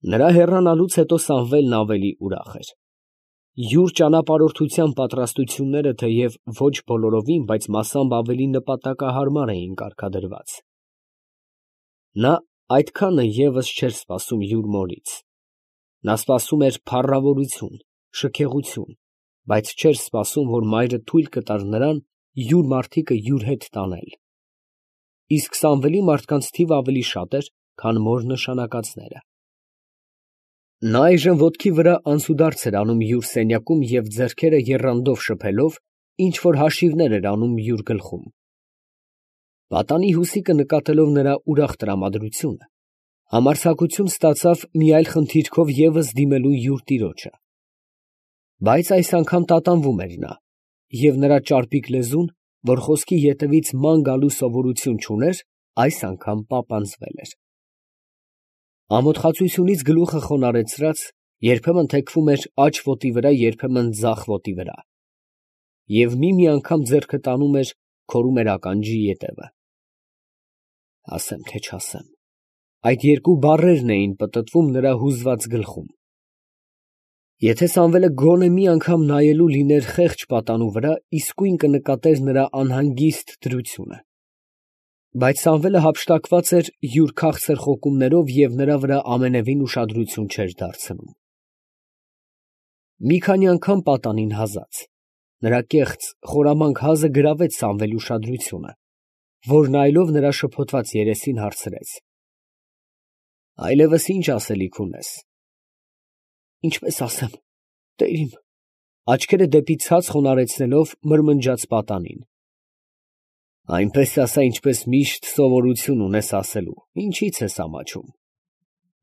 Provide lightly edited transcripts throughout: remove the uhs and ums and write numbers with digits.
Նրա հեռանալուց հետո Սամվելն ավելի ուրախ էր։ Յուր ճանապարհորդության պատրաստությունները թեև ոչ բոլորովին, բայց մասամբ ավելի նպատակահարմար էին կարգադրված։ Նա այդքանը ևս չէր սպասում յուր մորից։ Նա սպասում էր փառավորություն, շքեղություն, բայց չէր սպասում, որ մայրը թույլ կտար նրան յուր մարդիկը յուր հետ տանել։ Իսկ Սամվելի մարդկանց թիվը ավելի շատ էր, քան մոր նշանակածները։ Նա այժմ ոտքի վրա անցուդարձ էր անում յուր սենյակում և ձեռքերը եռանդով շփելով ինչ֊որ հաշիվներ էր անում յուր գլխում։ Պատանի Հուսիկը նկատելով նրա ուրախ տրամադրությունը, համարձակություն ստացավ մի այլ խնդիրքով ևս դիմելու յուր տիրոջը։ Բայց այս անգամ տատանվում էր նա, և նրա ճարպիկ լեզուն, որ խոսքի ետևից ման գալու սովորություն չուներ, այս անգամ պապանձվել էր։ Ամոթխածությունից գլուխը խոնարհեցրած, երբեմն թեքվում էր աջ ոտի վրա, երբեմն ձախ ոտի վրա, և մի անգամ ձեռքը տանում էր, քորում էր ականջի ետևը։ Ասեմ, թե չասեմ, այդ երկու բառերն էին պտտվում նրա հուզված գլխում։ Եթե Սամվելը գոնե մի անգամ նայելու լիներ խեղճ պատանու վրա, իսկույն կնկատեր նրա անհանգիստ դրությունը։ Բայց Սամվելը հափշտակված էր յուր քաղցր խոկումներով և նրա վրա ամենևին ուշադրություն չէր դարձնում։ Մի քանի անգամ պատանին հազաց, նրա կեղծ, խորամանկ հազը գրավեց Սամվելի ուշադրությունը, որ նայելով նրա շփոթված երեսին հարցրեց. «Այլևս ի՞նչ ասելիք ունես»։ «Ինչպես ասեմ, տերիմ», աչքերը դեպի ցած խոնարհեցնելով մրմնջաց պատանին։ «Այնպես ասա, ինչպես միշտ սովորություն ունես ասելու, ինչի՞ց ես ամաչում»,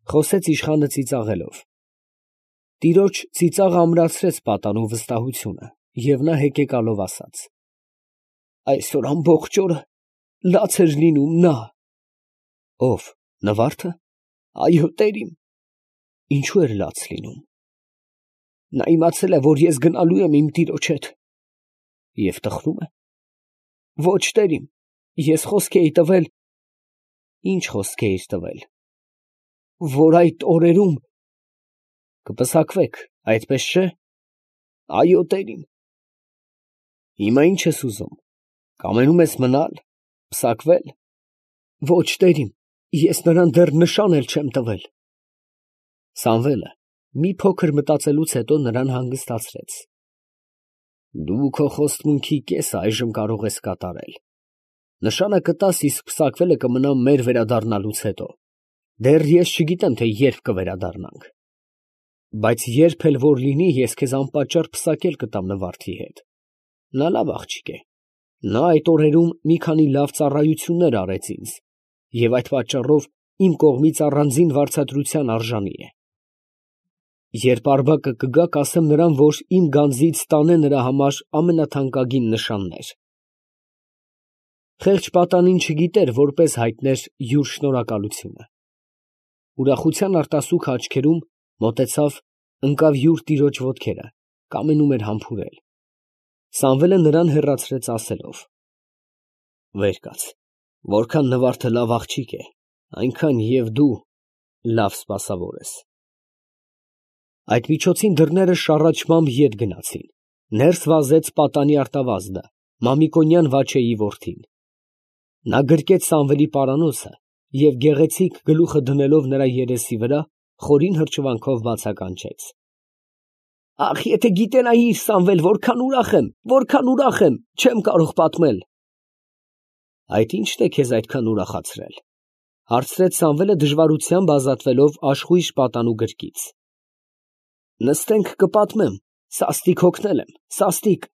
խոսեց իշխանը ծիծաղելով։ Տիրոջ ծիծաղը ամրացրեց պատանու վստահությունը, և նա հեկեկալով ասաց. «Այսօր ամբողջ օրը լաց էր լինում նա»։ «Ո՞վ, Նվարդը»։ «Այո, տերիմ»։ «Ինչու էր լաց լինում»։ «Նա իմացել է, որ ես գնալու եմ իմ տիրոջ հետ»։ «Եվ տխրում է»։ «Ոչ, տերիմ, ես խոսք էի տվել»։ «Ինչ խոսք էիր տվել»։ «Որ այդ օրերում կպսակվեք, այդպես չէ»։ «Այո, տերիմ»։ «Հիմա ի՞նչ ես ուզում, կամենում ես մնալ, պսակվել»։ «Ոչ, տերիմ, ես նրան դեռ նշան էլ չեմ տվել»։ Սամվելը մի փոքր մտածելուց հետո նրան հանգստացրեց։ «Դու քո խոստմունքի կեսը այժմ կարող ես կատարել. նշանը կտաս, իսկ պսակվելը կմնա մեր վերադառնալուց հետո, դեռ ես չգիտեմ, թե երբ կվերադառնանք։ Բայց երբ էլ որ լինի, ես քեզ անպատճառ պսակել կտամ Նվարդի հետ։ Նա լավ աղջիկ է, նա այդ օրերում մի քանի լավ ծառայություններ արեց ինձ, և այդ պատճառով իմ կողմից առանձին վարձատրության արժանի է։ Երբ Արբակը կգա, կասեմ նրան, որ իմ գանձից տանե նրա համար ամենաթանկագին նշաններ»։ Խեղճ պատանին չգիտեր որպես հայտներ յուր շնորհակալությունը։ Ուրախության արտասուքը աչքերում մոտեցավ, ընկավ յուր տիրոջ ոտքերը, կամենում էր համբուրել։ Սամվելը նրան հեռացրեց ասելով. «Վեր կաց, որքան Նվարդը լավ աղջիկ է, այնքան և դու լավ սպասավոր ես»։ Այդ միջոցին դռները շառաչմամբ ետ գնացին, ներս վազեց պատանի արտավազդը, Մամիկոնյան Վաչեի որդին։ Նա գրկեց Սամվելի պարանոցը և գեղեցիկ գլուխը դնելով նրա երեսի վրա, խորին հրճվանքով բացականչեց. «Ախ, եթե գիտենայիր, Սամվել, որքան ուրախ եմ, չեմ կարող պատմել»։ «Այդ ի՞նչն է քեզ այդքան ուրախացրել», հարցրեց Սամվելը դժվարությամբ ազատվելով աշխույժ պատանու գրկից։ «Նստենք, կպատմեմ, սաստիկ հոգնել եմ, սաստիկ»։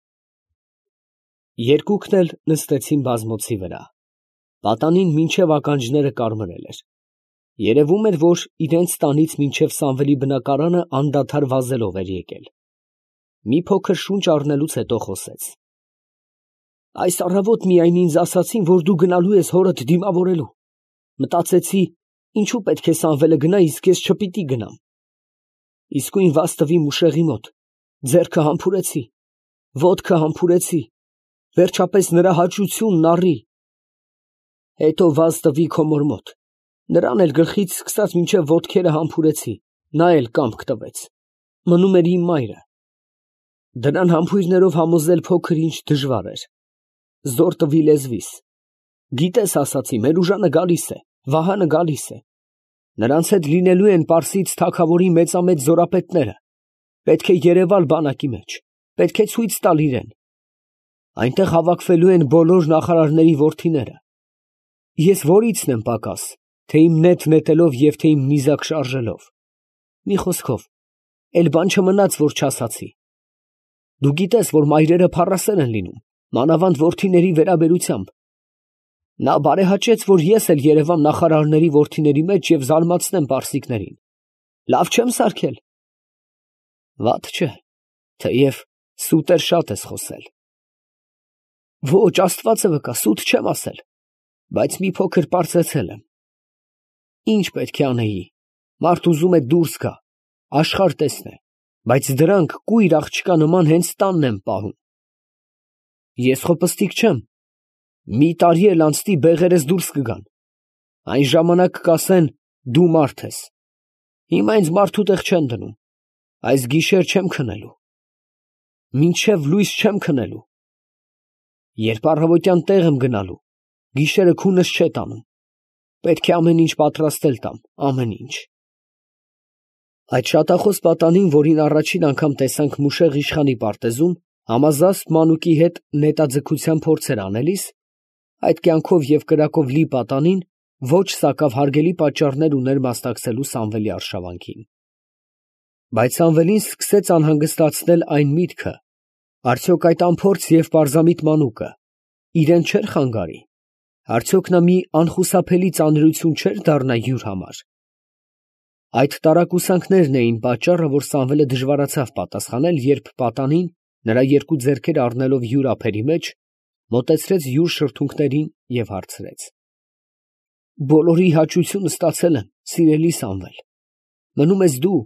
Երկուքն էլ նստեցին բազմոցի վրա։ Պատանին մինչև ականջները կարմրել էր։ Երևում էր, որ իրենց տանից մինչև Սամվելի բնակարանը անդադար վազելով էր եկել։ Մի փոքր շունչ առնելուց հետո խոսեց. «Այս առավոտ միայն ինձ ասացին, որ դու գնալու ես հորդ դիմավորելու։ Մտածեցի, ինչու պետք է Սամվելը գնա, իսկ ես չպիտի գնամ։ Իսկույն վազ տվի մուշեղի մոտ, ձեռքը համբուրեցի, ոտքը համբուրեցի, վերջապես նրա հաճությունն առի։ Հետո վազ տվի քո մոր մոտ, նրան էլ գլխից սկսած մինչև ոտքերը համբուրեցի, նա էլ կամք տվեց, մնում էր իմ մայրը։ Դրան համբույրներով համոզել փոքր ինչ դժվար էր, զոր տվի լեզվիս։ Գիտես, ասացի, մեր ուժանը գալիս է, Վահանը գալիս է, նրանց հետ լինելու են Պարսից թագավորի մեծամեծ զորապետները, պետք է երևալ բանակի մեջ, պետք է ցույց տալ իրեն, այնտեղ հավաքվելու են բոլոր նախարարների որդիները, ես որիցն եմ պակաս, թե իմ նետ նետելով և թե իմ նիզակ շարժելով, մի խոսքով, էլ բան չմնաց, որ չասացի, դու գիտես, որ մայրերը փառասեր են լինում, մանավանդ որդիների վերաբերությամբ, նա բարեհաճեց, որ ես էլ երևամ նախարարների որդիների մեջ և զարմացնեմ պարսիկներին, լավ չեմ սարքել, վատ չէ, թեև սուտեր շատ ես խոսել, ոչ, Աստվածը վկա, սուտ չեմ ասել, բայց մի փոքր պարծեցել եմ, ինչ պետք է անեի, մարդ ուզում է դուրս գա, աշխարհ տեսնե, բայց դրանք կույր աղջկա նման հենց տանն են պահում, ես խոպստիկ չեմ, մի տարի էլ անցնի բեղերս դուրս կգան, այն ժամանակ կասեն դու մարդ ես, հիմա ինձ մարդու տեղ չեն դնում, այս գիշեր չեմ քնելու, մինչև լույս չեմ քնելու, երբ առավոտյան տեղ եմ գնալու, գիշերը քունս չէ տանում, պետք է ամեն ինչ պատրաստել տամ, ամեն ինչ։ Այդ շատախոս պատանին, որին առաջին անգամ տեսանք Մուշեղ իշխանի պարտեզում, համազասպ մանուկի հետ նետաձգության փորձեր անելիս, այդ կյանքով և կրակով լի պատանին ոչ սակավ հարգելի պատճառներ ուներ մասնակցելու Սամվելի արշավանքին։ Բայց Սամվելին սկսեց անհանգստացնել այն միտքը, արդյոք այդ անփորձ և պարզամիտ մանուկը իրեն չէր խանգարի, արդյոք նա մի անխուսափելի ծանրություն չէր դառնա յուր համար։ Այդ տարակուսանքներն էին պատճառը, որ Սամվելը դժվարացավ պատասխանել, երբ պատանին, նրա երկու ձեռքերը առնելով յուր ափերի մեջ, մոտեցրեց յուր շրթունքներին և հարցրեց. բոլորի հաճությունը ստացել եմ, սիրելի Սամվել, մնում ես դու,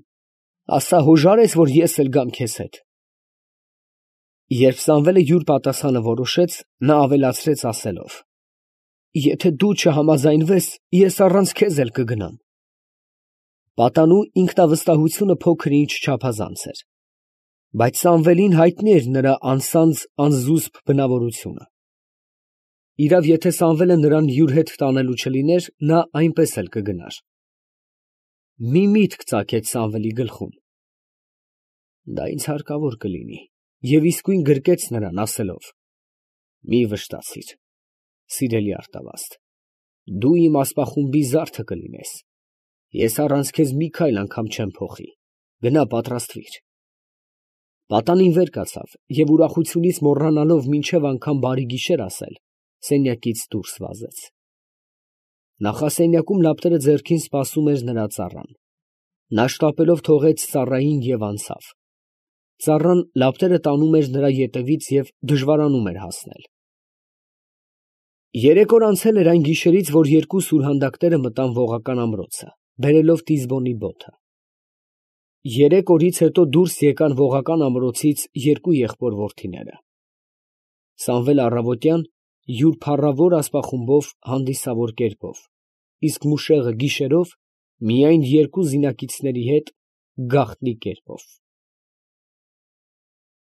ասա հոժար ես, որ ես էլ գամ քեզ հետ։ Երբ Սամվելը յուր պատասխանը որոշեց, նա ավելացրեց ասելով. եթե դու չհամաձայնվես, ես առանց քեզ էլ կգնամ։ Պատանու ինքնավստահությունը փոքր ինչ չափազանց էր, բայց Սամվելին հայտնի էր նրա անսանձ անզուսպ բնավորությունը։ Իրավ, եթե Սամվելը նրան յուր հետ տանելու չլիներ, նա այնպես էլ կգնար։ Մի միտք ծագեց Սամվելի գլխում. դա ինձ հարկավոր կլինի, և իսկույն գրկեց նրան, ասելով. մի վշտացիր, սիրելի արտավազդ, դու իմ ասպախումբի զարդը կլինես, ես առանց քեզ մի քայլ անգամ չեմ փոխի, գնա պատրաստվիր։ Պատանին վեր կացավ և ուրախությունից մոռանալով մինչև անգամ բարի գիշեր ասել, սենյակից դուրս վազեց։ Նախասենյակում լապտերը ձեռքին սպասում էր նրա ծառան։ Նա շտապելով թողեց ծառային և անցավ։ Ծառան լապտերը տանում էր նրա ետևից և դժվարանում էր հասնել։ 3 օր անցել էր այն գիշերից, որ երկու սուրհանդակները մտան Ողական ամրոցը, բերելով Տիզբոնի բոթը։ 3 օրից հետո դուրս եկան Ողական ամրոցից երկու եղբոր որդիները։ Սամվելը առավոտյան յուր փառավոր ասպախումբով հանդիսավոր կերպով, իսկ Մուշեղը գիշերով միայն երկու զինակիցների հետ գաղտնի կերպով։